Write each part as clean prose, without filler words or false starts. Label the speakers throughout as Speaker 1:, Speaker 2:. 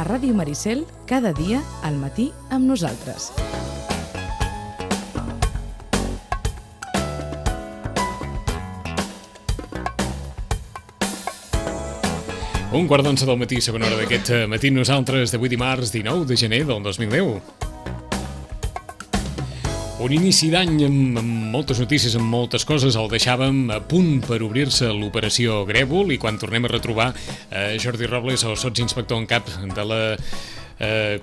Speaker 1: Ràdio Maricel, cada dia al matí amb nosaltres.
Speaker 2: Un quart d'onze del matí, segona hora d'aquest matí, nosaltres d'avui dimarts 19 de gener del 2010. Un inici d'any amb moltes notícies, amb moltes coses. El deixàvem a punt per obrir-se l'operació Grèvol i quan tornem a retrobar Jordi Robles, el sotsinspector en cap de la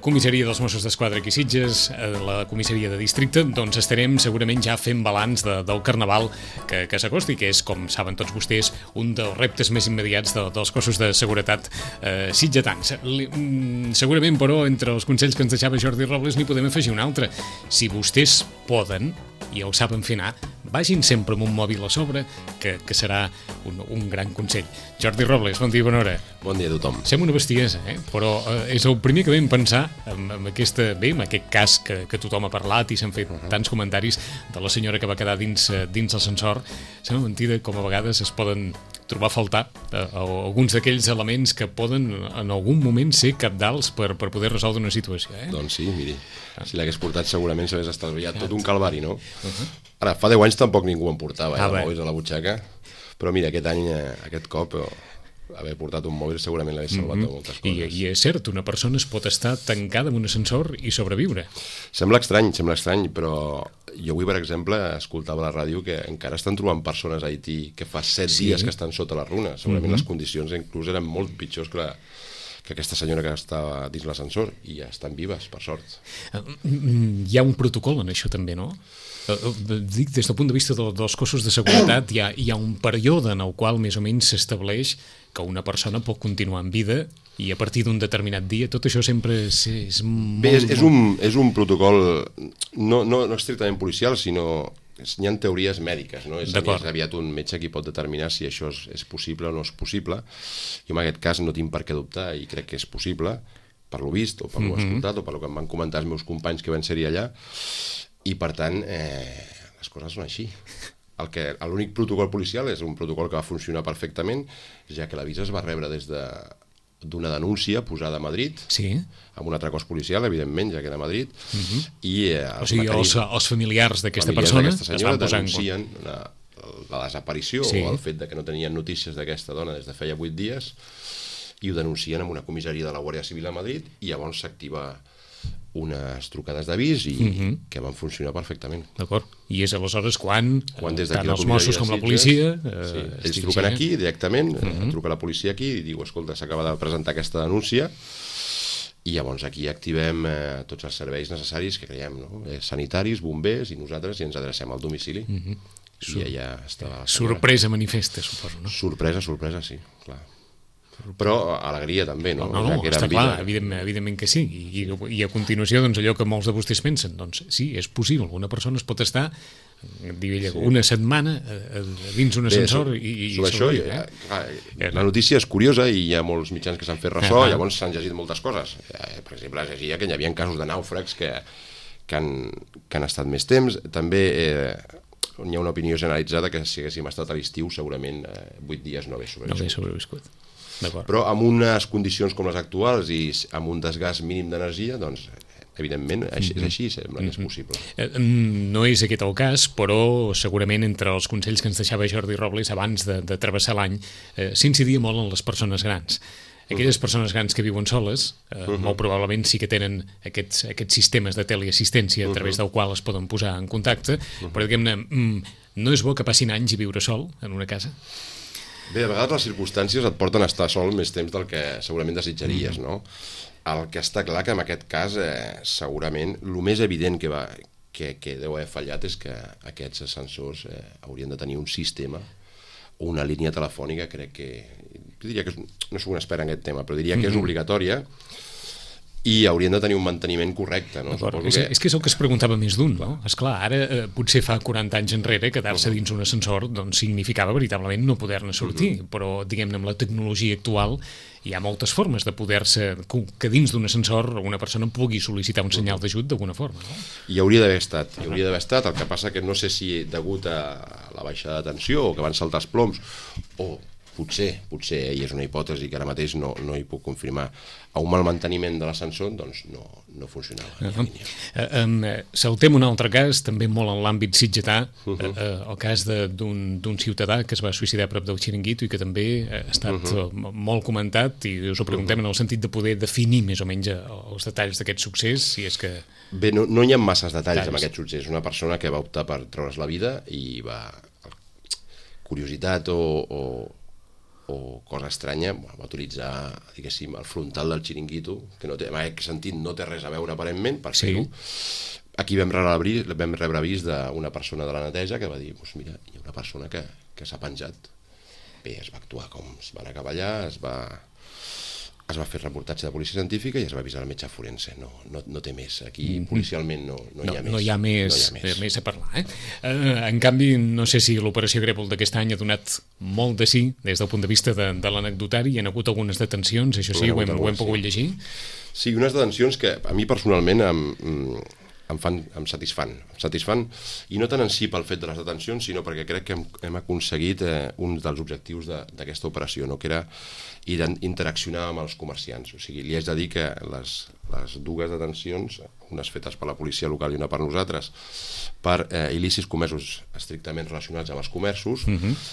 Speaker 2: comissaria dels Mossos d'Esquadra aquí a Sitges, la comissaria de districte, doncs estarem segurament ja fent balanç del Carnaval que s'acosti, que és, com saben tots vostès, un dels reptes més immediats dels cossos de seguretat sitgetans. Segurament, però, entre els consells que ens deixava Jordi Robles n'hi podem afegir un altre. Si vostès poden i el saben fer anar, vagin sempre amb un mòbil a sobre, que serà un gran consell. Jordi Robles, bon dia, bona hora.
Speaker 3: Bon dia a tothom.
Speaker 2: Sembla una bestiesa, però és el primer que vam pensar amb aquest cas que tothom ha parlat i s'han fet tants comentaris de la senyora que va quedar dins l'ascensor. Sembla mentida com a vegades es poden trobar a faltar alguns d'aquells elements que poden en algun moment ser cabdals per poder resoldre una situació.
Speaker 3: Doncs sí, miri, si l'hagués portat segurament s'hagués estalviat tot un calvari, no? Ara, fa 10 anys tampoc ningú em portava mòbils a la butxaca, però mira, aquest any, aquest cop, haver portat un mòbil segurament l'hagués salvat de moltes coses.
Speaker 2: I és cert, una persona es pot estar tancada en un ascensor i sobreviure.
Speaker 3: Sembla estrany, però jo avui, per exemple, escoltava a la ràdio que encara estan trobant persones a Haití que fa 7 dies que estan sota la runa. Segurament les condicions inclús eren molt pitjors que aquesta senyora que estava dins l'ascensor, i ja estan vives, per sort.
Speaker 2: Hi ha un protocol en això també, no? Dic, des del punt de vista dels cossos de seguretat, hi ha un període en el qual més o menys s'estableix que una persona pot continuar en vida i a partir d'un determinat dia. Tot això sempre és molt...
Speaker 3: Bé, és un protocol no estrictament policial, sinó hi ha teories mèdiques, no? És aviat un metge qui pot determinar si això és possible o no és possible. Jo en aquest cas no tinc per què dubtar i crec que és possible, per lo vist o per lo escoltat o per lo que em van comentar els meus companys que van ser-hi allà, i per tant les coses són així. L'únic protocol policial és un protocol que va funcionar perfectament, ja que l'avís es va rebre des d'una denúncia posada a Madrid, amb un altre cos policial, evidentment, ja que era a Madrid, i
Speaker 2: o sigui, els familiars d'aquesta persona es van posar
Speaker 3: denuncien la desaparició o el fet que no tenien notícies d'aquesta dona des de feia 8 dies, i ho denuncien en una comissaria de la Guàrdia Civil a Madrid, i llavors s'activa unes trucades d'avís que van funcionar perfectament.
Speaker 2: D'acord. I és aleshores quan
Speaker 3: des
Speaker 2: tant els Mossos com la policia...
Speaker 3: ells truquen aquí directament, truca la policia aquí i diu, escolta, s'acaba de presentar aquesta denúncia, i llavors aquí activem tots els serveis necessaris que creiem, sanitaris, bombers, i nosaltres, i ens adrecem al domicili. I allà està...
Speaker 2: Sorpresa manifesta, suposo, no?
Speaker 3: Sorpresa, sí, clar. Però alegria també, no?
Speaker 2: No, està clar, evidentment que sí. I a continuació, doncs, allò que molts de vostès pensen, doncs sí, és possible, una persona es pot estar una setmana dins un ascensor i
Speaker 3: sobreviure. La notícia és curiosa i hi ha molts mitjans que s'han fet ressò, llavors s'han llegit moltes coses. Per exemple, es llegia que hi havia casos de nàufrags que han estat més temps. També hi ha una opinió generalitzada que si haguéssim estat a l'estiu segurament 8 dies no hagués sobreviscut. Però amb unes condicions com les actuals i amb un desgast mínim d'energia, doncs evidentment és així, sembla que és possible.
Speaker 2: No és aquest el cas, però segurament entre els consells que ens deixava Jordi Robles abans de travessar l'any s'incidia molt en les persones grans. Aquelles persones grans que viuen soles, molt probablement sí que tenen aquests sistemes de teleassistència a través del qual es poden posar en contacte, però diguem-ne, no és bo que passin anys i viure sol en una casa?
Speaker 3: Bé, a vegades les circumstàncies et porten a estar sol més temps del que segurament desitjaries, no? El que està clar que en aquest cas segurament el més evident que deu haver fallat és que aquests ascensors haurien de tenir un sistema o una línia telefònica, crec que... Jo diria que no soc un expert en aquest tema, però diria que és obligatòria i haurien de tenir un manteniment correcte, no?
Speaker 2: És que és el que es preguntava més d'un, no? Esclar, ara potser fa 40 anys enrere quedar-se dins un ascensor doncs significava veritablement no poder-ne sortir, però diguem-ne amb la tecnologia actual hi ha moltes formes de poder-se, que dins d'un ascensor una persona pugui sol·licitar un senyal d'ajut d'alguna forma, no?
Speaker 3: I hauria d'haver estat, el que passa que no sé si degut a la baixada de tensió o que van saltar els ploms o potser, i és una hipòtesi que ara mateix no hi puc confirmar, a un mal manteniment de l'ascensor, doncs no funcionava.
Speaker 2: Saltem un altre cas, també molt en l'àmbit sitgetà, el cas d'un ciutadà que es va suïcidar a prop del Xiringuito i que també ha estat molt comentat, i us ho preguntem en el sentit de poder definir més o menys els detalls d'aquest succés, si és que...
Speaker 3: Bé, no hi ha masses detalls en aquest succés. Una persona que va optar per treure's la vida i va... Curiositat o cosa estranya, va utilitzar, diguéssim, el frontal del Xiringuito, que no té, en aquest sentit no té res a veure aparentment, per fer-ho. Aquí vam rebre avís d'una persona de la neteja que va dir, doncs mira, hi ha una persona que s'ha penjat. Bé, es va actuar com es van acabar allà, es va fer reportatge de policia científica i es va avisar el metge forense. No té més. Aquí policialment no hi ha més.
Speaker 2: No hi ha més a parlar. En canvi, no sé si l'operació Grèvol d'aquest any ha donat molt de sí des del punt de vista de l'anecdotari. Hi ha hagut algunes detencions, això sí, ho hem pogut llegir.
Speaker 3: Sí, unes detencions que a mi personalment em satisfan, i no tant en si pel fet de les detencions, sinó perquè crec que hem aconseguit un dels objectius d'aquesta operació, que era interaccionar amb els comerciants. O sigui, li haig de dir que les dues detencions, unes fetes per la policia local i una per nosaltres, per il·lícits comesos estrictament relacionats amb els comerços,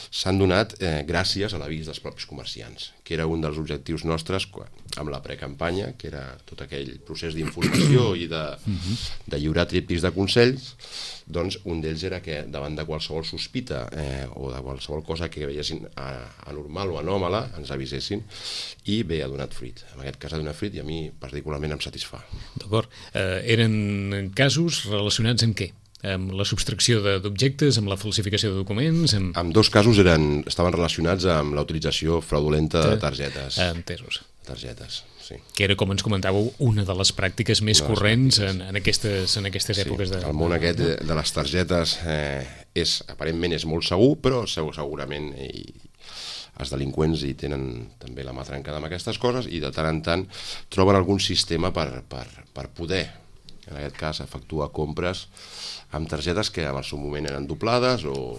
Speaker 3: s'han donat gràcies a l'avís dels propis comerciants, que era un dels objectius nostres amb la precampanya, que era tot aquell procés d'informació i de lliurar tríptics de consells. Doncs un d'ells era que davant de qualsevol sospita o de qualsevol cosa que veiessin anormal o anòmala ens avisessin, i bé, ha donat fruit. En aquest cas ha donat fruit i a mi particularment em satisfà.
Speaker 2: D'acord. Eren casos relacionats amb què? Amb la subtracció d'objectes, amb la falsificació de documents?
Speaker 3: En dos casos estaven relacionats amb la utilització fraudulenta de targetes.
Speaker 2: Entesos.
Speaker 3: Targetes, sí.
Speaker 2: Que era, com ens comentàveu, una de les pràctiques més corrents en aquestes èpoques.
Speaker 3: El món aquest de les targetes aparentment és molt segur, però segurament els delinqüents hi tenen també la mà trencada amb aquestes coses i de tant en tant troben algun sistema per poder, en aquest cas, efectuar compres amb targetes que en el seu moment eren doblades o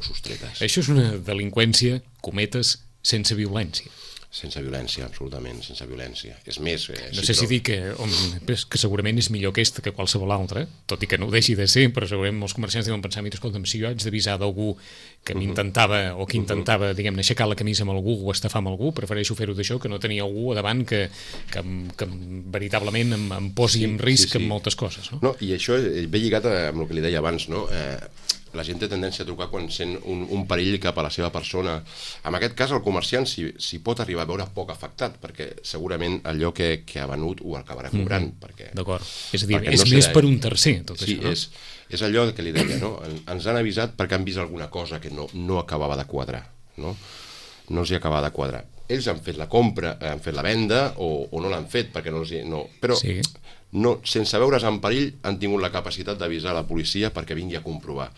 Speaker 3: sostretes.
Speaker 2: Això és una delinqüència, cometes, sense violència.
Speaker 3: Sense violència, absolutament, sense violència. És més...
Speaker 2: No sé si dir que segurament és millor aquesta que qualsevol altra, tot i que no ho deixi de ser, però segurament molts comerciants deuen pensar, mira, escolta'm, si jo haig d'avisar d'algú que m'intentava o que intentava, diguem-ne, aixecar la camisa amb algú o estafar amb algú, prefereixo fer-ho d'això que no tenir algú a davant que veritablement em posi en risc en moltes coses.
Speaker 3: No, i això ve lligat amb el que li deia abans, no? La gent té tendència a trucar quan sent un perill cap a la seva persona. En aquest cas, el comerciant s'hi pot arribar a veure poc afectat, perquè segurament allò que ha venut ho acabarà cobrant.
Speaker 2: D'acord. És a dir, és més per un tercer, tot això, no?
Speaker 3: Sí, és allò que li deia, no? Ens han avisat perquè han vist alguna cosa que no acabava de quadrar, no? No els hi acabava de quadrar. Ells han fet la compra, han fet la venda, o no l'han fet perquè no els hi... Però sense veure's en perill han tingut la capacitat d'avisar la policia perquè vingui a comprovar.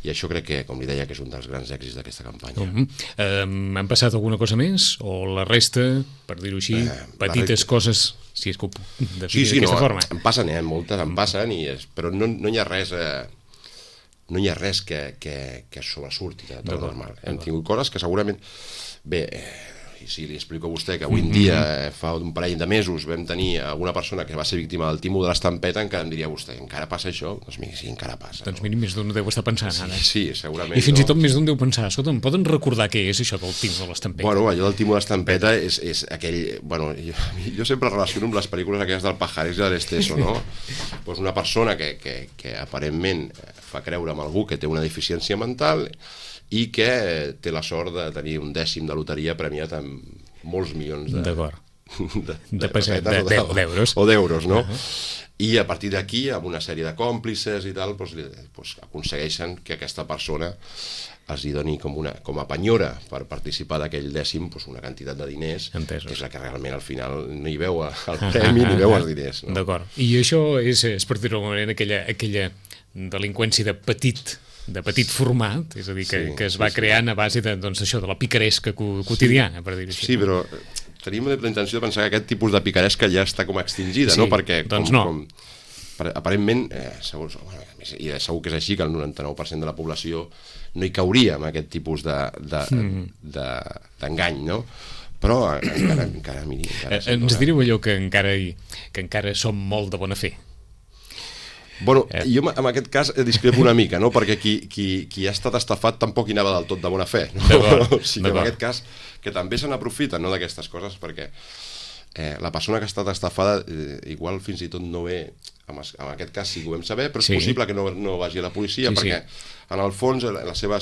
Speaker 3: I això crec que, com li deia, que és un dels grans èxits d'aquesta campanya.
Speaker 2: Han passat alguna cosa més? O la resta, per dir-ho així, petites coses, si és que ho puc definir d'aquesta forma?
Speaker 3: En passen, moltes en passen, però no hi ha res... No hi ha res que sobresurti de tot normal. Hem tingut coses que segurament... Bé, si li explico a vostè que avui en dia, fa un parell de mesos, vam tenir alguna persona que va ser víctima del timo de l'estampeta, encara em diria vostè, encara passa això? Doncs mira, sí, encara passa.
Speaker 2: Doncs mira, més d'un deu estar pensant ara.
Speaker 3: Sí, segurament.
Speaker 2: I fins i tot més d'un deu pensar, escolta, em poden recordar què és això del timo de l'estampeta?
Speaker 3: Bueno, allò del timo de l'estampeta és aquell... Bueno, jo sempre relaciono amb les pel·lícules aquelles del Pajares i de l'Esteso, no? Doncs una persona que aparentment fa creure amb algú que té una deficiència mental i que té la sort de tenir un dècim de loteria premiat amb molts milions de
Speaker 2: pessetes
Speaker 3: o d'euros, no? I a partir d'aquí, amb una sèrie de còmplices i tal, aconsegueixen que aquesta persona els hi doni com a penyora per participar d'aquell dècim una quantitat de diners, que és la que realment al final no hi veu el premi ni veu els diners.
Speaker 2: D'acord. I això és, per dir-ho d'alguna manera, aquella delinqüència de petit format, és a dir, que es va creant a base de la picaresca quotidiana, per dir-ho així.
Speaker 3: Sí, però tenim la intenció de pensar que aquest tipus de picaresca ja està com extingida, no? Perquè
Speaker 2: doncs no.
Speaker 3: aparentment, segur que és així, que el 99% de la població no hi cauria amb aquest tipus d'engany, no? Però encara
Speaker 2: ens direu allò que encara som molt de bona fe.
Speaker 3: Bueno, jo en aquest cas discrepo una mica, no? Perquè qui ha estat estafat tampoc hi anava del tot de bona fe, no? O sigui, en aquest cas, que també se n'aprofiten, no, d'aquestes coses, perquè la persona que ha estat estafada igual fins i tot no ve, en aquest cas sí que ho vam saber, però és possible que no vagi a la policia, perquè en el fons la seva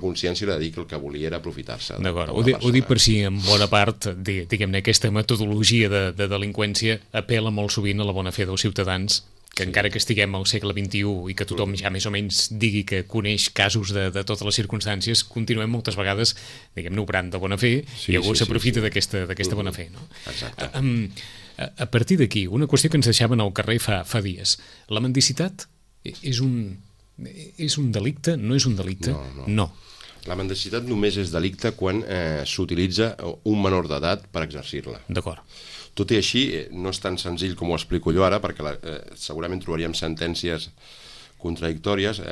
Speaker 3: consciència era dir que el que volia era aprofitar-se.
Speaker 2: D'acord, ho dic per si en bona part, diguem-ne, aquesta metodologia de delinqüència apel·la molt sovint a la bona fe dels ciutadans, que encara que estiguem al segle XXI i que tothom ja més o menys digui que coneix casos de totes les circumstàncies, continuem moltes vegades, diguem-ne, obrant de bona fe, i algú s'aprofita d'aquesta bona fe, no?
Speaker 3: Exacte.
Speaker 2: A partir d'aquí, una qüestió que ens deixaven al carrer fa dies. La mendicitat és un delicte? No és un delicte? No.
Speaker 3: La mendicitat només és delicte quan s'utilitza un menor d'edat per exercir-la.
Speaker 2: D'acord.
Speaker 3: Tot i així, no és tan senzill com ho explico jo ara, perquè segurament trobaríem sentències contradictòries.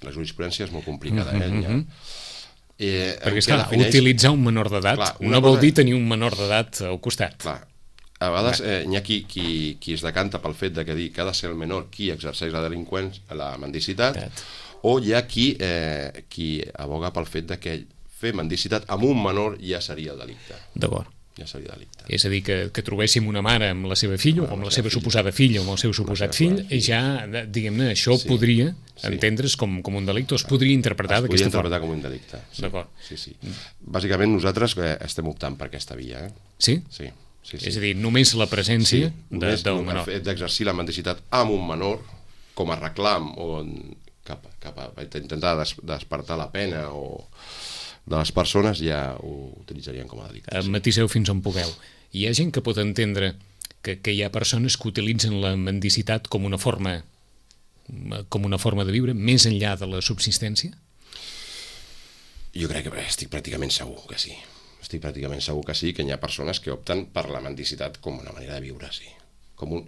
Speaker 3: La jurisprudència és molt complicada.
Speaker 2: Perquè, esclar, utilitzar un menor d'edat no vol dir tenir un menor d'edat al costat.
Speaker 3: Clar. A vegades hi ha qui es decanta pel fet de que dir que ha de ser el menor qui exerceix la mendicitat, o hi ha qui aboga pel fet de que fer mendicitat amb un menor ja seria el delicte.
Speaker 2: D'acord.
Speaker 3: Ja seria delicte.
Speaker 2: És a dir, que trobéssim una mare amb la seva filla, o amb la seva suposada filla, o amb el seu suposat fill, ja, diguem-ne, això podria entendre's com un delicte, o es podria interpretar d'aquesta forma.
Speaker 3: Es podria interpretar com un delicte.
Speaker 2: D'acord.
Speaker 3: Sí. Bàsicament nosaltres estem optant per aquesta via. Sí? Sí.
Speaker 2: És a dir, només la presència del menor.
Speaker 3: El fet d'exercir la mendicitat amb un menor, com a reclam, o cap a intentar despertar la pena, o de les persones, ja ho utilitzarien com a delicte.
Speaker 2: Matiseu fins on pugueu. Hi ha gent que pot entendre que hi ha persones que utilitzen la mendicitat com una forma de viure, més enllà de la subsistència?
Speaker 3: Jo crec que estic pràcticament segur que sí. Estic pràcticament segur que sí, que hi ha persones que opten per la mendicitat com una manera de viure, sí. Com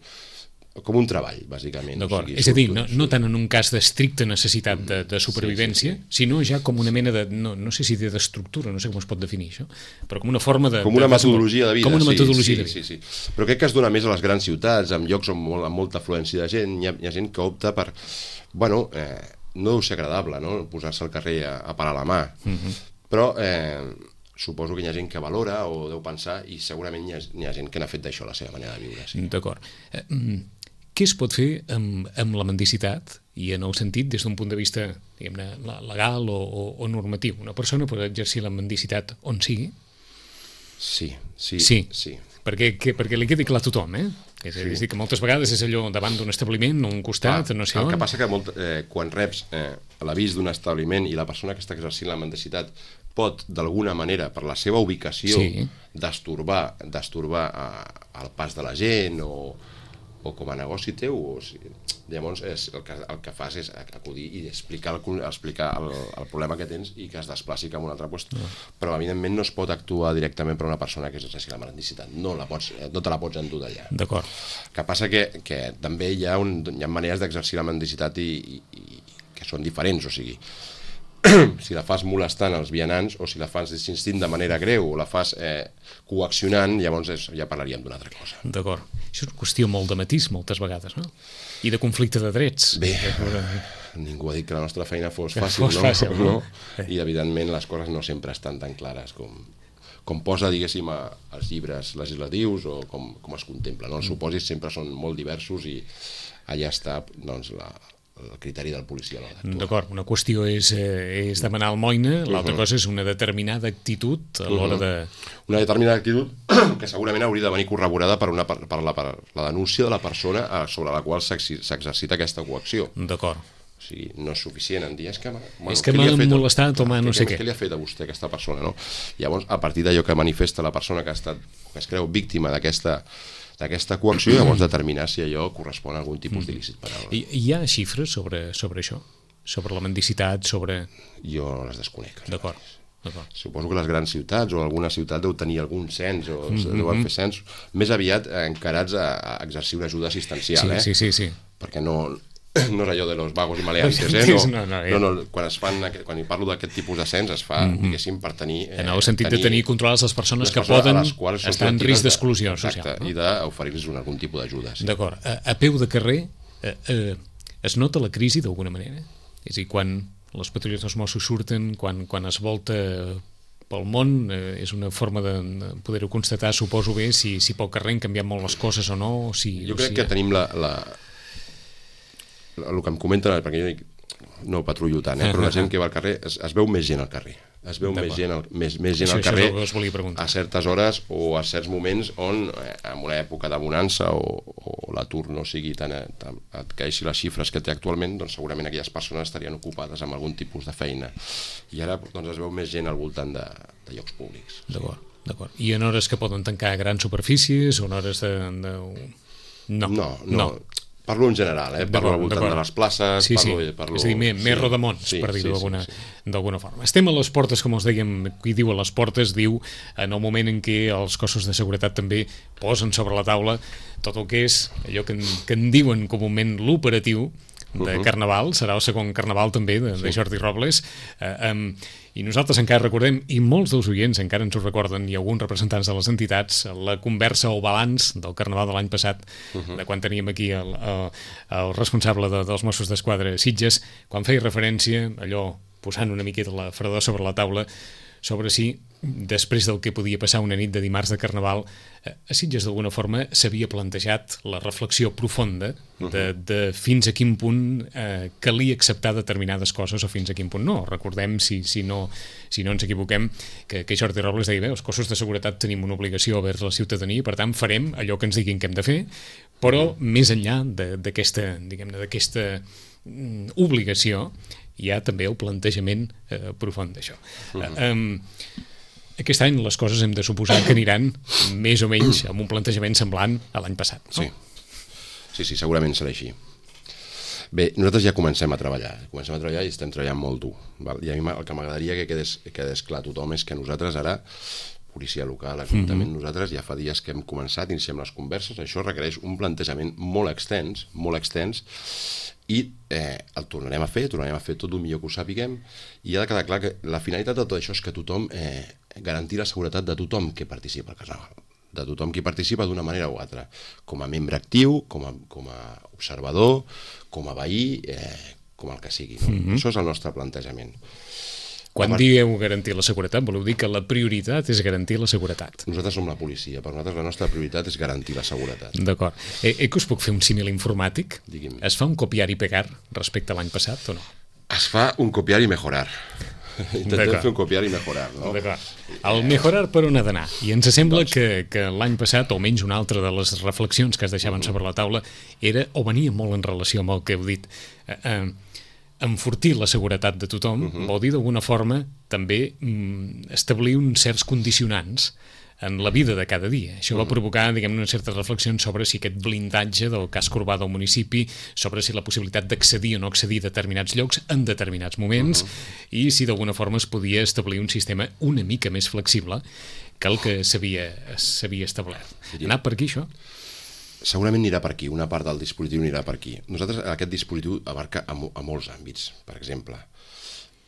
Speaker 3: un treball, bàsicament.
Speaker 2: D'acord, és a dir, no tant en un cas d'estricta necessitat de supervivència, sinó ja com una mena de, no sé si d'estructura, no sé com es pot definir això, però com una forma de...
Speaker 3: Com una metodologia de vida.
Speaker 2: Com una metodologia de vida.
Speaker 3: Sí. Però crec que es dona més a les grans ciutats, en llocs amb molta afluència de gent, hi ha gent que opta per... Bueno, no deu ser agradable, no?, posar-se al carrer a parar la mà, però suposo que hi ha gent que valora o deu pensar, i segurament hi ha gent que n'ha fet d'això la seva manera de viure.
Speaker 2: D'acord. Què es pot fer amb la mendicitat, i en el sentit des d'un punt de vista, diguem-ne, legal o normatiu? Una persona pot exercir la mendicitat on sigui?
Speaker 3: Sí.
Speaker 2: Perquè li quedi clar a tothom, És a dir, que moltes vegades és allò davant d'un establiment, o un costat, no sé on.
Speaker 3: El que passa que quan reps l'avís d'un establiment i la persona que està exercint la mendicitat pot, d'alguna manera, per la seva ubicació, destorbar el pas de la gent o com a negoci teu, llavors el que fas és acudir i explicar el problema que tens i que es desplaci cap a un altre lloc. Però evidentment no es pot actuar directament per una persona que exerceixi la mendicitat, no te la pots endur d'allà.
Speaker 2: D'acord.
Speaker 3: El que passa que també hi ha maneres d'exercir la mendicitat i que són diferents, o sigui, si la fas molestant els vianants, o si la fas insistint de manera greu, o la fas coaccionant, llavors ja parlaríem d'una altra cosa.
Speaker 2: D'acord. Això és una qüestió molt de matís, moltes vegades, no? I de conflicte de drets.
Speaker 3: Bé, ningú ha dit que la nostra feina fos fàcil, no? I, evidentment, les coses no sempre estan tan clares com posa, diguéssim, als llibres legislatius o com es contempla. Els supòsits sempre són molt diversos i allà està, doncs, el criteri del policia.
Speaker 2: D'acord, una qüestió és demanar almoina, l'altra cosa és una determinada actitud a l'hora de...
Speaker 3: Una determinada actitud que segurament hauria de venir corroborada per la denúncia de la persona sobre la qual s'exercita aquesta coacció.
Speaker 2: D'acord.
Speaker 3: O sigui, no és suficient en dir és que
Speaker 2: m'ha molestat o no sé què.
Speaker 3: Què li ha fet a vostè aquesta persona, no? Llavors, a partir d'allò que manifesta la persona que es creu víctima d'aquesta coacció, llavors determinar si allò correspon a algun tipus d'il·lícit penal.
Speaker 2: Hi ha xifres sobre això? Sobre la mendicitat, sobre...
Speaker 3: Jo les desconec.
Speaker 2: D'acord.
Speaker 3: Suposo que les grans ciutats o alguna ciutat deu tenir algun cens o deuen fer cens més aviat encarats a exercir una ajuda assistencial.
Speaker 2: Sí.
Speaker 3: perquè no és allò de los vagos i maleantes, quan parlo d'aquest tipus d'ascens es fa, diguéssim, per tenir...
Speaker 2: En el sentit de tenir controlades les persones que poden estar en risc d'exclusió social.
Speaker 3: I d'oferir-los algun tipus d'ajuda.
Speaker 2: D'acord. A peu de carrer es nota la crisi d'alguna manera? És a dir, quan les patrulles dels Mossos surten, quan es volta pel món, és una forma de poder-ho constatar, suposo bé, si pel carrer han canviat molt les coses o no.
Speaker 3: Jo crec que tenim el que em comenten, perquè jo no patrullo tant, però la gent que va al carrer, es veu més gent al carrer. Es veu més gent al carrer a certes hores o a certs moments on, en una època de bonança o l'atur no sigui tan et caixi les xifres que té actualment, doncs segurament aquelles persones estarien ocupades amb algun tipus de feina. I ara es veu més gent al voltant de llocs públics.
Speaker 2: D'acord. I en hores que poden tancar grans superfícies o en hores de...
Speaker 3: No. Parlo en general, parlo al voltant de les places... Parlo...
Speaker 2: És a dir, més rodamons, per dir-ho d'alguna forma. Estem a les portes, com us dèiem, qui diu a les portes, diu en el moment en què els cossos de seguretat també posen sobre la taula tot el que és allò que en diuen comúment l'operatiu de Carnaval, serà el segon Carnaval també de Jordi Robles, i nosaltres encara recordem, i molts dels oients encara ens ho recorden, i alguns representants de les entitats, la conversa o balanç del Carnaval de l'any passat, de quan teníem aquí el responsable dels Mossos d'Esquadra Sitges, quan feia referència, allò posant una miqueta la fredor sobre la taula, sobre si, després del que podia passar una nit de dimarts de Carnaval, a Sitges d'alguna forma s'havia plantejat la reflexió profunda de fins a quin punt calia acceptar determinades coses o fins a quin punt no. Recordem, si no ens equivoquem, que Jordi Robles deia, els cossos de seguretat tenim una obligació vers la ciutadania i per tant farem allò que ens diguin que hem de fer, però més enllà d'aquesta obligació hi ha també el plantejament profund d'això. Aquest any les coses hem de suposar que aniran més o menys amb un plantejament semblant a l'any passat, no?
Speaker 3: Sí, segurament serà així. Bé, nosaltres ja comencem a treballar i estem treballant molt dur. I a mi el que m'agradaria que quedés clar a tothom és que nosaltres ara, policia local, ajuntament, nosaltres ja fa dies que hem començat, iniciem les converses, això requereix un plantejament molt extens, i el tornarem a fer tot el millor que ho sapiguem, i ha de quedar clar que la finalitat de tot això és que tothom garantir la seguretat de tothom que participa al Carnaval, de tothom qui participa d'una manera o altra, com a membre actiu, com a observador, com a veí, com el que sigui. Això és el nostre plantejament.
Speaker 2: Quan dieu garantir la seguretat, voleu dir que la prioritat és garantir la seguretat.
Speaker 3: Nosaltres som la policia, per nosaltres la nostra prioritat és garantir la seguretat.
Speaker 2: D'acord. Que us puc fer un símil informàtic?
Speaker 3: Digui'm.
Speaker 2: Es fa un copiar i pegar respecte a l'any passat o no?
Speaker 3: Es fa un copiar i mejorar. Intentem fer un copiar i mejorar, no?
Speaker 2: D'acord. El mejorar per on ha d'anar. I ens sembla que l'any passat, o almenys una altra de les reflexions que es deixaven sobre la taula, era, o venia molt en relació amb el que heu dit, enfortir la seguretat de tothom vol dir d'alguna forma també establir uns certs condicionants en la vida de cada dia. Això va provocar, diguem-ne, una certa reflexió sobre si aquest blindatge del casc urbà del municipi, sobre si la possibilitat d'accedir o no accedir a determinats llocs en determinats moments, i si d'alguna forma es podia establir un sistema una mica més flexible que el que s'havia establert. Anar per aquí, això?
Speaker 3: Segurament anirà per aquí, una part del dispositiu anirà per aquí. Nosaltres, aquest dispositiu abarca a molts àmbits. Per exemple,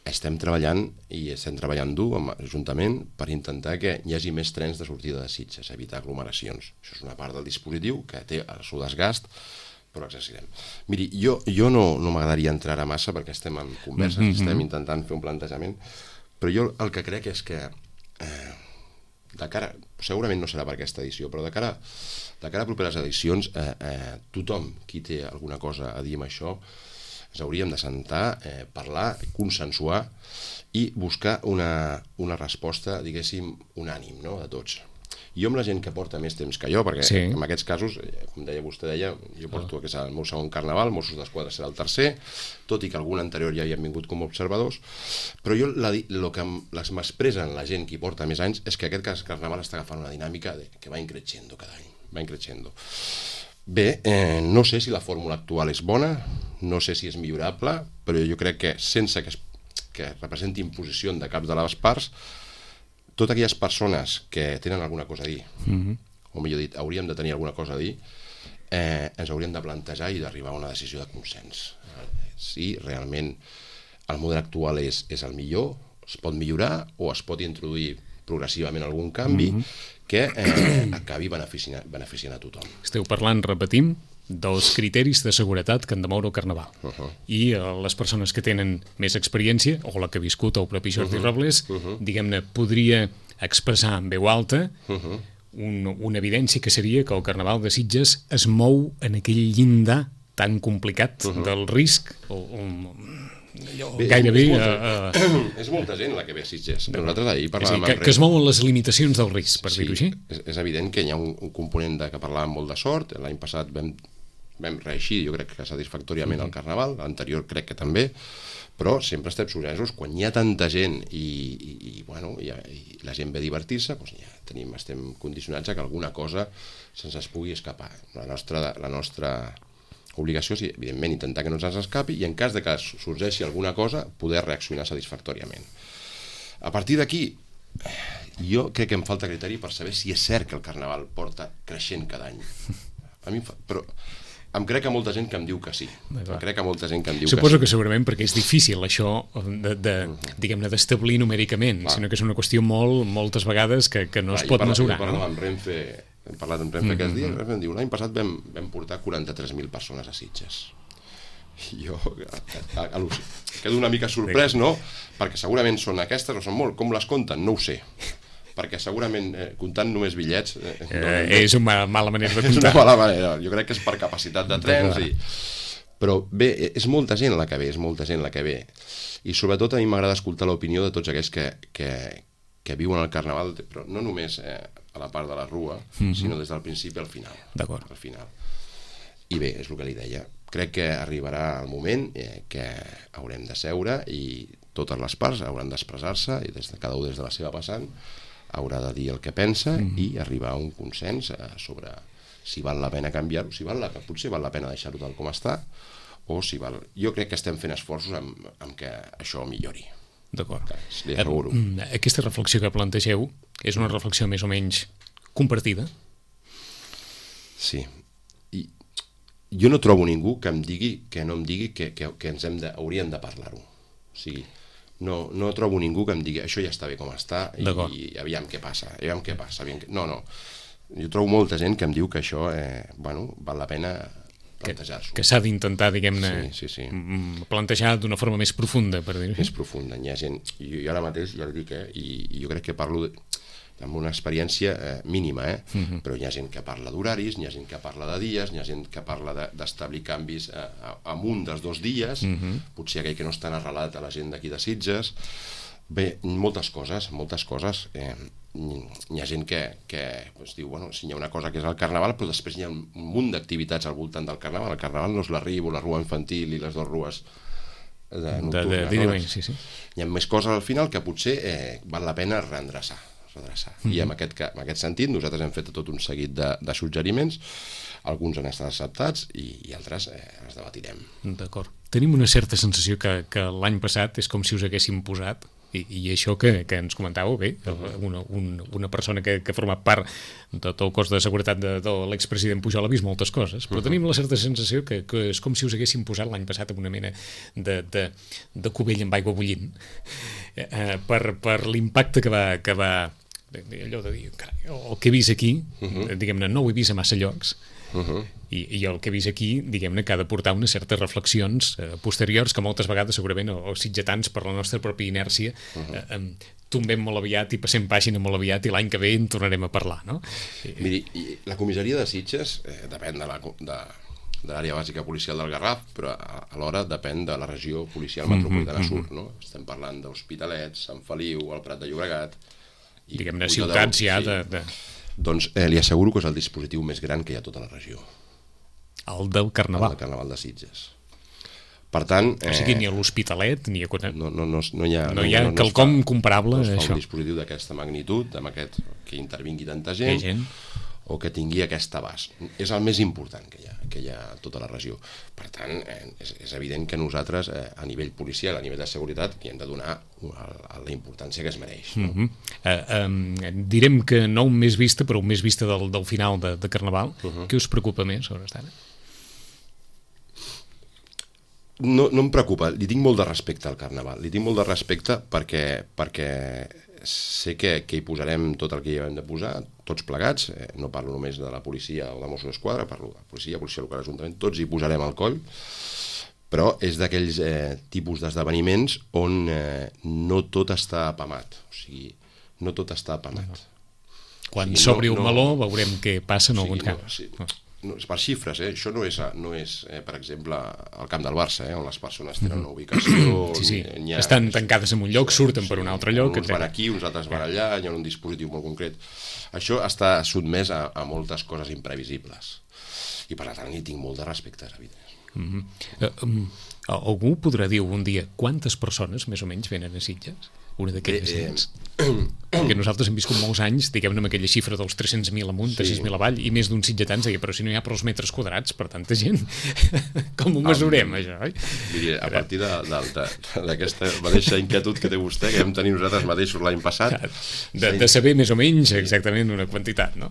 Speaker 3: estem treballant dur amb l'Ajuntament per intentar que hi hagi més trens de sortida de Sitges, evitar aglomeracions. Això és una part del dispositiu que té el seu desgast, però exercirem. Miri, jo no m'agradaria entrar a massa perquè estem en converses, estem intentant fer un plantejament, però jo el que crec és que de cara, segurament no serà per aquesta edició, però de cara a properes edicions, tothom qui té alguna cosa a dir amb això, ens hauríem de sentar, parlar, consensuar i buscar una resposta, diguéssim, unànim, no?, de tots. Jo amb la gent que porta més temps que jo, perquè en aquests casos, com vostè deia, jo porto que és el meu segon Carnaval, Mossos d'Esquadra serà el tercer, tot i que algun anterior ja havien vingut com a observadors, però jo el que m'expressa en la gent que hi porta més anys és que aquest Carnaval està agafant una dinàmica que va increixendo cada any, va increixendo. Bé, no sé si la fórmula actual és bona, no sé si és millorable, però jo crec que sense que representi imposició de cap de les parts, totes aquelles persones que tenen alguna cosa a dir, o millor dit, hauríem de tenir alguna cosa a dir, ens hauríem de plantejar i d'arribar a una decisió de consens. Si realment el model actual és el millor, es pot millorar o es pot introduir progressivament algun canvi que acabi beneficiant a tothom.
Speaker 2: Esteu parlant, repetim, dels criteris de seguretat que han de moure el Carnaval. I les persones que tenen més experiència, o la que ha viscut el propi Jordi Robles, diguem-ne, podria expressar en veu alta una evidència que seria que el Carnaval de Sitges es mou en aquell llindar tan complicat del risc, gairebé...
Speaker 3: És molta gent la que ve a Sitges. Nosaltres ahir parlàvem...
Speaker 2: Que es mouen les limitacions del risc, per dir-ho així.
Speaker 3: És evident que hi ha un component que parlàvem molt de sort. L'any passat vam reeixir, jo crec que satisfactòriament el Carnaval, l'anterior crec que també, però sempre estem sorpresos quan hi ha tanta gent i la gent ve a divertir-se, doncs estem condicionats a que alguna cosa se'ns pugui escapar. La nostra obligació és, evidentment, intentar que no se'ns escapi i en cas de que sorgeixi alguna cosa, poder reaccionar satisfactòriament. A partir d'aquí, jo crec que em falta criteri per saber si és cert que el Carnaval porta creixent cada any. Però em crec que molta gent que em diu que sí.
Speaker 2: Suposo que segurament perquè és difícil això diguem-ne d'establir numèricament, sinó que és una qüestió moltes vegades que no es pot mesurar.
Speaker 3: Hem parlat amb Renfe aquests dies, em diu, l'any passat vam portar 43.000 persones a Sitges. Jo quedo una mica sorprès, no? Perquè segurament són aquestes o són molt. Com les compten? No ho sé. Perquè segurament comptant només bitllets...
Speaker 2: És una mala manera de comptar.
Speaker 3: És una mala manera. Jo crec que és per capacitat de trens. Però bé, és molta gent la que ve, I sobretot a mi m'agrada escoltar l'opinió de tots aquells que viuen el Carnaval, però no només a la part de la rua, sinó des del principi al final.
Speaker 2: D'acord.
Speaker 3: I bé, és el que li deia. Crec que arribarà el moment que haurem de seure i totes les parts hauran d'expressar-se i cada un des de la seva vessant haurà de dir el que pensa i arribar a un consens sobre si val la pena canviar-ho, potser val la pena deixar-ho tal com està, o si val... Jo crec que estem fent esforços en que això millori.
Speaker 2: D'acord.
Speaker 3: Li asseguro.
Speaker 2: Aquesta reflexió que plantegeu és una reflexió més o menys compartida?
Speaker 3: Sí. Jo no trobo ningú que em digui que hauríem de parlar-ho. O sigui, no trobo ningú que em digui això ja està bé com està i aviam què passa. No. Jo trobo molta gent que em diu que això val la pena plantejar-s'ho.
Speaker 2: Que s'ha d'intentar, diguem-ne, plantejar d'una forma més profunda, per dir-ho.
Speaker 3: Més profunda. Hi ha gent, jo ara mateix ja el dic, i jo crec que parlo amb una experiència mínima, però hi ha gent que parla d'horaris, hi ha gent que parla de dies, hi ha gent que parla d'establir canvis en un dels 2 dies, potser aquell que no és tan arrelat a la gent d'aquí de Sitges. Bé, moltes coses. Hi ha gent que diu, si hi ha una cosa que és el Carnaval, però després hi ha un munt d'activitats al voltant del Carnaval. El Carnaval no és la Ribo, la Rua Infantil i les 2 rues nocturnes. Hi ha més coses al final que potser val la pena reendreçar. I en aquest sentit nosaltres hem fet tot un seguit de suggeriments, alguns han estat acceptats i altres els debatirem.
Speaker 2: D'acord. Tenim una certa sensació que l'any passat és com si us haguéssim posat, i això que ens comentàveu, bé, una persona que ha format part de tot el cos de seguretat de l'expresident Pujol ha vist moltes coses, però tenim la certa sensació que és com si us haguéssim posat l'any passat en una mena de cubell amb aigua bullint per l'impacte que va allò de dir, el que he vist aquí, diguem-ne, no ho he vist a massa llocs, i el que he vist aquí, diguem-ne, que ha de portar unes certes reflexions posteriors que moltes vegades segurament els sitgetans per la nostra pròpia inèrcia tombem molt aviat i passem pàgina molt aviat i l'any que ve en tornarem a parlar, no?
Speaker 3: Miri, la comissaria de Sitges depèn de l'àrea bàsica policial del Garraf, però alhora depèn de la regió policial metropolitana sud, no? Estem parlant d'Hospitalet, Sant Feliu, el Prat de Llobregat...
Speaker 2: Diguem-ne, ciutats ja de...
Speaker 3: Doncs li asseguro que és el dispositiu més gran que hi ha a tota la regió.
Speaker 2: El del Carnaval.
Speaker 3: El del Carnaval de Sitges. Per tant...
Speaker 2: O sigui, ni a l'Hospitalet, ni a...
Speaker 3: No hi ha
Speaker 2: quelcom comparable a
Speaker 3: això. No es fa
Speaker 2: això.
Speaker 3: un dispositiu d'aquesta magnitud, que intervingui tanta gent, o que tingui aquest abast. És el més important que hi ha a tota la regió. Per tant, és evident que nosaltres, a nivell policial, a nivell de seguretat, hi hem de donar la importància que es mereix. No?
Speaker 2: Direm que no un mes vista, però un mes vista del final de Carnaval. Què us preocupa més, a hores d'ara?
Speaker 3: No em preocupa, li tinc molt de respecte al Carnaval. Li tinc molt de respecte perquè sé que hi posarem tot el que hi hem de posar, tots plegats, no parlo només de la policia o de Mossos d'Esquadra, parlo de policia local, ajuntament, tots hi posarem al coll, però és d'aquells tipus d'esdeveniments on no tot està apamat, o sigui, no tot està apamat.
Speaker 2: Quan s'obri un meló veurem què passa en alguns casos.
Speaker 3: Per xifres, això no és per exemple, el camp del Barça, on les persones tenen una ubicació...
Speaker 2: Sí. Estan tancades en un lloc, surten per un altre lloc...
Speaker 3: Uns van aquí, uns altres van allà, hi ha un dispositiu molt concret. Això està sotmès a moltes coses imprevisibles. I per tant, hi tinc molt de respecte, és evident.
Speaker 2: Algú podrà dir un dia quantes persones, més o menys, venen a Sitges? Una d'aquelles gens. Perquè nosaltres hem viscut molts anys, diguem-ne, amb aquella xifra dels 300.000 amunt, 6.000 avall, i més d'un sitgetans deia, però si no hi ha prou metres quadrats per tanta gent, com ho mesurem, això, oi?
Speaker 3: A partir d'aquesta mateixa inquietud que té vostè, que vam tenir nosaltres mateixos l'any passat...
Speaker 2: De saber més o menys exactament una quantitat, no?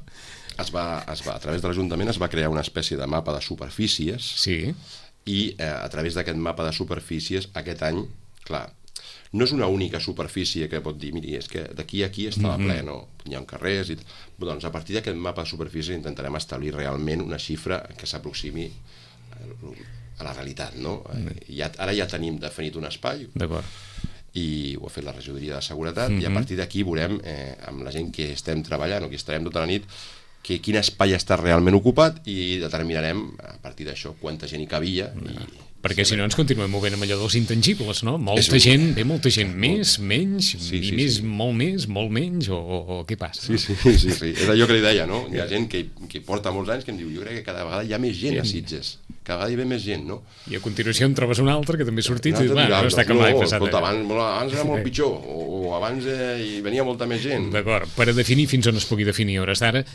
Speaker 3: A través de l'Ajuntament es va crear una espècie de mapa de superfícies, i a través d'aquest mapa de superfícies, aquest any, clar, no és una única superfície que pot dir, miri, és que d'aquí a aquí estava ple, no? Hi ha carrers i... Doncs a partir d'aquest mapa de superfície intentarem establir realment una xifra que s'aproximi a la realitat, no? Ara ja tenim definit un espai, i ho ha fet la regidoria de seguretat, i a partir d'aquí veurem, amb la gent que estem treballant o que estarem tota la nit, quin espai està realment ocupat, i determinarem a partir d'això quanta gent hi cabia.
Speaker 2: Perquè si no ens continuem movent amb allò dels intangibles, no? Molta gent, més, menys, molt menys, o què passa?
Speaker 3: Sí, és allò que li deia, no? Hi ha gent que porta molts anys que em diu, jo crec que cada vegada hi ha més gent a Sitges, cada vegada hi ve més gent, no?
Speaker 2: I a continuació en trobes un altre que també ha sortit i no està com l'any passat.
Speaker 3: Abans era molt pitjor, o abans hi venia molta més gent.
Speaker 2: D'acord, per a definir fins on es pugui definir a hores d'ara,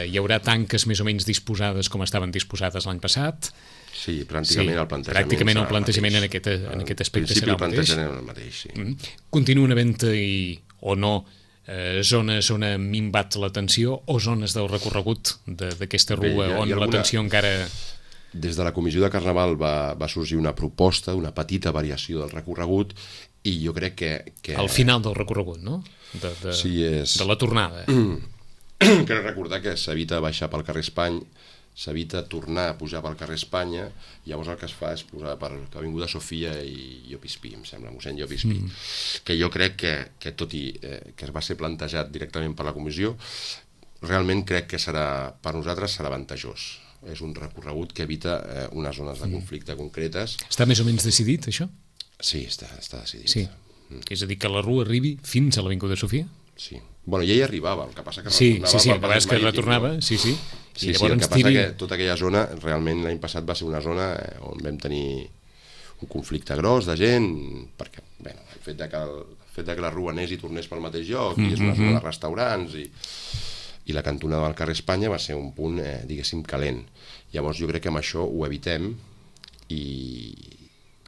Speaker 2: hi haurà tanques més o menys disposades com estaven disposades l'any passat?
Speaker 3: Sí, pràcticament el plantejament.
Speaker 2: Pràcticament el plantejament en aquest aspecte serà
Speaker 3: el mateix.
Speaker 2: Continuen havent-hi o no zones on ha minvat la tensió o zones del recorregut d'aquesta rua on la tensió encara...
Speaker 3: Des de la Comissió de Carnaval va sorgir una proposta, una petita variació del recorregut, i jo crec que...
Speaker 2: Al final del recorregut, no? De la tornada.
Speaker 3: Crec recordar que s'evita baixar pel carrer Espany, s'evita tornar a pujar pel carrer Espanya, llavors el que es fa és posar per l'Avinguda Sofia i Llopispí, em sembla, mossèn Llopispí, que jo crec que tot i que es va ser plantejat directament per la comissió, realment crec que per nosaltres serà avantajós. És un recorregut que evita unes zones de conflicte concretes.
Speaker 2: Està més o menys decidit, això?
Speaker 3: Sí, està decidit.
Speaker 2: Sí. És a dir, que la rua arribi fins a l'Avinguda Sofia?
Speaker 3: Sí. Bueno, ja hi arribava, el que passa que
Speaker 2: retornava... Sí, que retornava, sí.
Speaker 3: Sí, el que passa que tota aquella zona, realment l'any passat va ser una zona on vam tenir un conflicte gros de gent, perquè el fet de que la rua anés i tornés pel mateix lloc, i és una zona de restaurants, i la cantonada del carrer Espanya va ser un punt, diguéssim, calent. Llavors jo crec que amb això ho evitem, i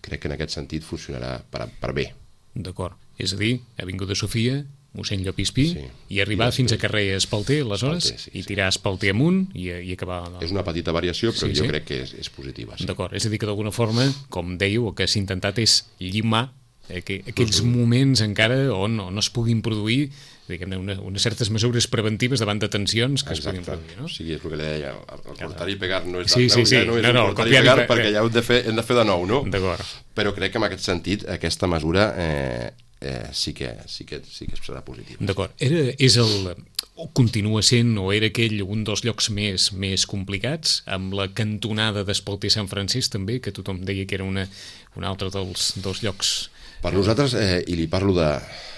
Speaker 3: crec que en aquest sentit funcionarà per bé.
Speaker 2: D'acord. És a dir, Avinguda Sofia, mossèn Llopispí, i arribar fins a carrer Espalter, aleshores, i tirar Espalter amunt i acabar...
Speaker 3: És una petita variació, però jo crec que és positiva.
Speaker 2: D'acord, és a dir, que d'alguna forma, com dèieu, el que s'ha intentat és llimar aquells moments encara on no es puguin produir, diguem-ne, unes certes mesures preventives davant de tensions que es puguin produir, no?
Speaker 3: Sí, és el que li deia, el cortar i pegar no és un cortar i pegar perquè ja hem de fer de nou, no?
Speaker 2: D'acord.
Speaker 3: Però crec que en aquest sentit aquesta mesura sí que serà positiva.
Speaker 2: D'acord. O continua sent, o era aquell un dels llocs més complicats, amb la cantonada d'Espalter Sant Francesc també, que tothom deia que era un altre dels llocs...
Speaker 3: Per nosaltres, i li parlo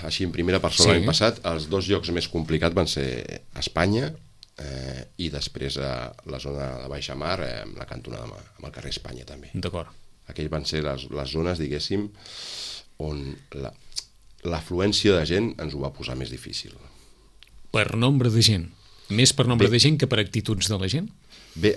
Speaker 3: així en primera persona, l'any passat, els dos llocs més complicats van ser Espanya i després la zona de Baixa Mar, amb la cantonada amb el carrer Espanya també.
Speaker 2: D'acord.
Speaker 3: Aquells van ser les zones, diguéssim, on l'afluència de gent ens ho va posar més difícil.
Speaker 2: Per nombre de gent? Més per nombre de gent que per actituds de la gent?
Speaker 3: Bé,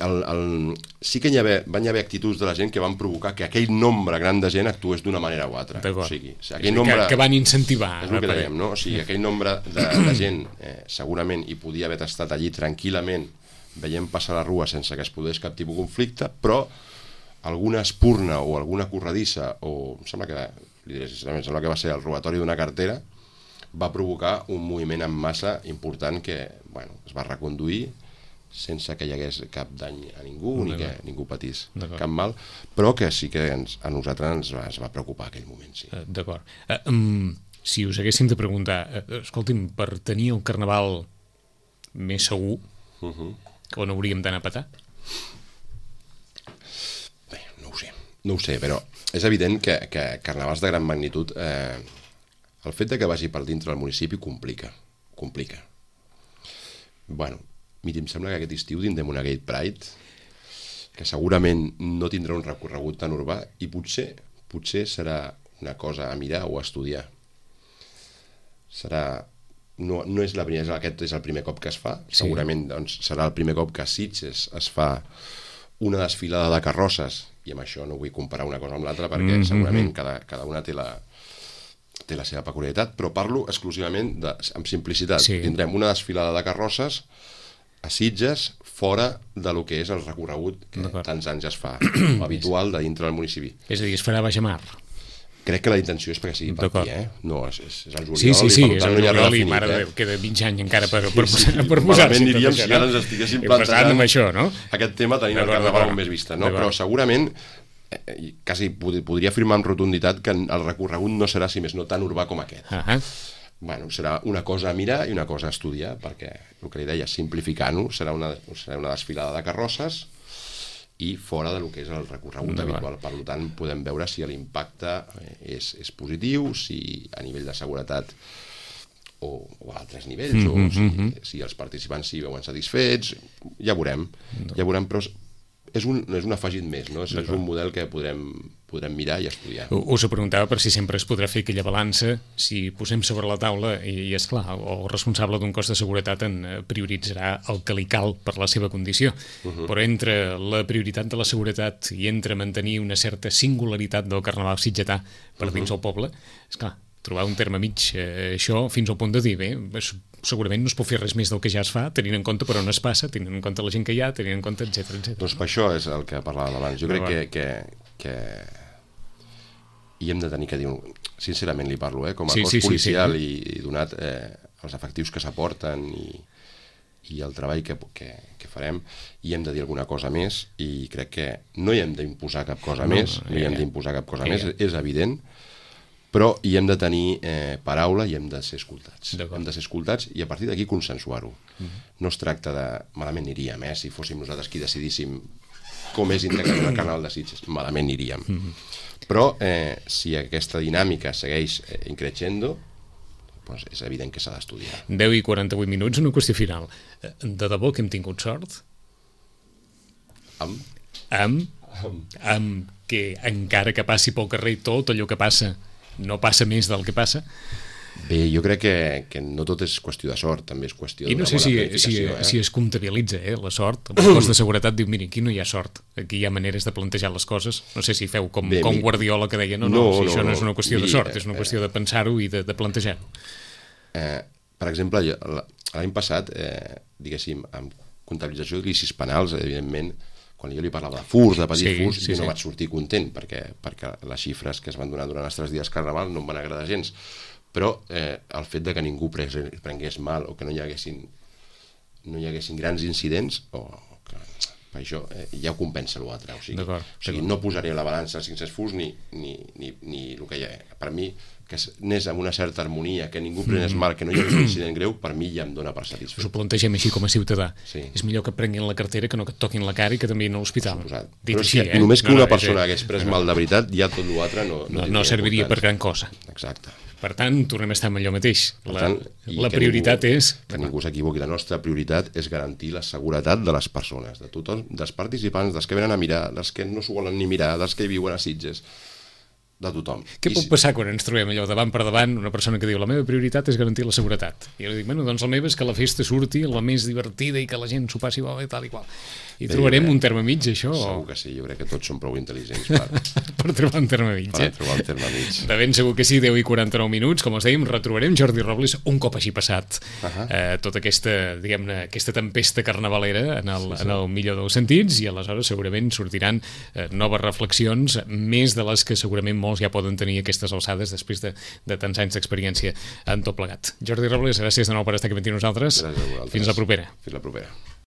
Speaker 3: sí que van haver actituds de la gent que van provocar que aquell nombre gran de gent actués d'una manera o altra. O sigui, aquell nombre...
Speaker 2: que van incentivar.
Speaker 3: És el que dèiem, no? O sigui, aquell nombre de gent segurament hi podia haver estat allí tranquil·lament veient passar la rua sense que es produís cap tipus de conflicte, però alguna espurna o alguna corredissa, o em sembla que va ser el robatori d'una cartera, va provocar un moviment en massa important que es va reconduir sense que hi hagués cap dany a ningú ni que ningú patís cap mal, però que sí que a nosaltres ens va preocupar aquell moment. Sí.
Speaker 2: D'acord. Si us haguéssim de preguntar, escolti'm, per tenir el carnaval més segur, on hauríem d'anar a petar?
Speaker 3: Bé, no ho sé, però és evident que carnavals de gran magnitud, el fet de que vagi per dintre del municipi complica. Bueno, mira, em sembla que aquest estiu tindrem una Gate Pride que segurament no tindrà un recorregut tan urbà i potser serà una cosa a mirar o a estudiar. No és la primera, aquest és el primer cop que es fa, segurament serà el primer cop que a Sitges es fa una desfilada de carrosses, i amb això no vull comparar una cosa amb l'altra perquè segurament cada una té la seva peculiaritat, però parlo exclusivament amb simplicitat. Tindrem una desfilada de carrosses a Sitges fora de lo que és el recorregut que tants anys es fa, habitual de dintre del municipi.
Speaker 2: És a dir, es farà baix a mar.
Speaker 3: Crec que la intenció és perquè sigui per aquí, No, és el juliol,
Speaker 2: sí,
Speaker 3: i per tant no hi ha res
Speaker 2: definit. Mare Déu, queda 20 anys encara per posar-se.
Speaker 3: Malament aniríem si ara ens estiguéssim plantejant
Speaker 2: amb això, no?
Speaker 3: Aquest tema tenint el carnaval més vista, no? Però segurament quasi podria afirmar amb rotunditat que el recorregut no serà, si més no, tan urbà com aquest. Serà una cosa a mirar i una cosa a estudiar, perquè el que li deia, simplificant-ho, serà una desfilada de carrosses i fora del que és el recorregut habitual. Per tant, podem veure si l'impacte és positiu, si a nivell de seguretat o a altres nivells, o si els participants s'hi veuen satisfets, ja veurem, però és un afegit més, no? És un model que podrem mirar i estudiar.
Speaker 2: Us ho preguntava per si sempre es podrà fer aquella balança, si posem sobre la taula, i és clar, el responsable d'un cos de seguretat en prioritzarà el que li cal per la seva condició, però entre la prioritat de la seguretat i entre mantenir una certa singularitat del carnaval sitgetà per dins el poble, és clar, trobar un terme mig, això fins al punt de dir, bé, segurament no es pot fer res més del que ja es fa, tenint en compte per on es passa, tenint en compte la gent que hi ha, tenint en compte, etc.
Speaker 3: Doncs per això és el que parlàvem abans. Jo crec que hi hem de tenir que dir, sincerament li parlo, com a cos policial i donat els efectius que s'aporten i el treball que farem, hi hem de dir alguna cosa més, i crec que no hi hem d'imposar cap cosa més, és evident, però hi hem de tenir paraula i hem de ser escoltats. Hem de ser escoltats i a partir d'aquí consensuar-ho. No es tracta de... Malament aniríem, si fóssim nosaltres qui decidíssim com és integrat el carnaval de Sitges. Malament aniríem. Però si aquesta dinàmica segueix increixendo, doncs és evident que s'ha d'estudiar.
Speaker 2: 10 i 48 minuts, una qüestió final. De debò que hem tingut sort? Amb que encara que passi pel carrer tot allò que passa no passa més del que passa?
Speaker 3: Bé, jo crec que no tot és qüestió de sort, també és qüestió d'una bona planificació.
Speaker 2: Si es comptabilitza la sort, el cos de seguretat diu, mira, aquí no hi ha sort, aquí hi ha maneres de plantejar les coses, no sé si feu com Guardiola que deia, si això no és una qüestió de sort, és una qüestió de pensar-ho i de plantejar-ho.
Speaker 3: Per exemple, l'any passat, diguéssim, amb comptabilització de ilicis penals, evidentment, quan jo li parlava de furs, de petits furs, jo no vaig sortir content, perquè les xifres que es van donar durant els 3 dies carnaval no em van agradar gens, però el fet de que ningú prengués mal o que no hi haguessin grans incidents, per això ja ho compensa l'altre. O sigui, no posaré a la balança 500 furs ni el que hi ha. Per mi, que anés amb una certa harmonia, que ningú prenés mal, que no hi hagués un incident greu, per mi ja em dona per satisfet.
Speaker 2: Us ho plantegem així com a ciutadà. És millor que prenguin la cartera que no que et toquin la cara i que t'enviïn a l'hospital.
Speaker 3: Però si només que una persona hagués pres mal de veritat, ja tot l'altre
Speaker 2: no serviria per gran cosa.
Speaker 3: Exacte.
Speaker 2: Per tant, tornem a estar amb allò mateix. La prioritat és...
Speaker 3: Que ningú s'equivoqui. La nostra prioritat és garantir la seguretat de les persones, de tothom, dels participants, dels que venen a mirar, dels que no s'ho volen ni mirar, dels que viuen a Sitges. de tothom.
Speaker 2: Què pot passar quan ens trobem allò davant per davant, una persona que diu la meva prioritat és garantir la seguretat? I jo dic, bueno, doncs la meva és que la festa surti la més divertida i que la gent s'ho passi bé i tal i qual. I trobarem un terme mig, això?
Speaker 3: Segur que sí, jo crec que tots som prou intel·ligents
Speaker 2: per trobar un terme mig,
Speaker 3: per trobar un terme mig.
Speaker 2: De ben segur que sí, 10 i 49 minuts, com us dèiem, retrobarem Jordi Robles un cop hagi passat tota aquesta, diguem-ne, aquesta tempesta carnavalera en el millor dels sentits, i aleshores segurament sortiran noves reflexions, més de les que segurament molts ja poden tenir aquestes alçades després de tants anys d'experiència en tot plegat. Jordi Robles, gràcies de nou per estar aquí amb nosaltres.
Speaker 3: Gràcies a vosaltres.
Speaker 2: Fins la propera.
Speaker 3: Fins la propera.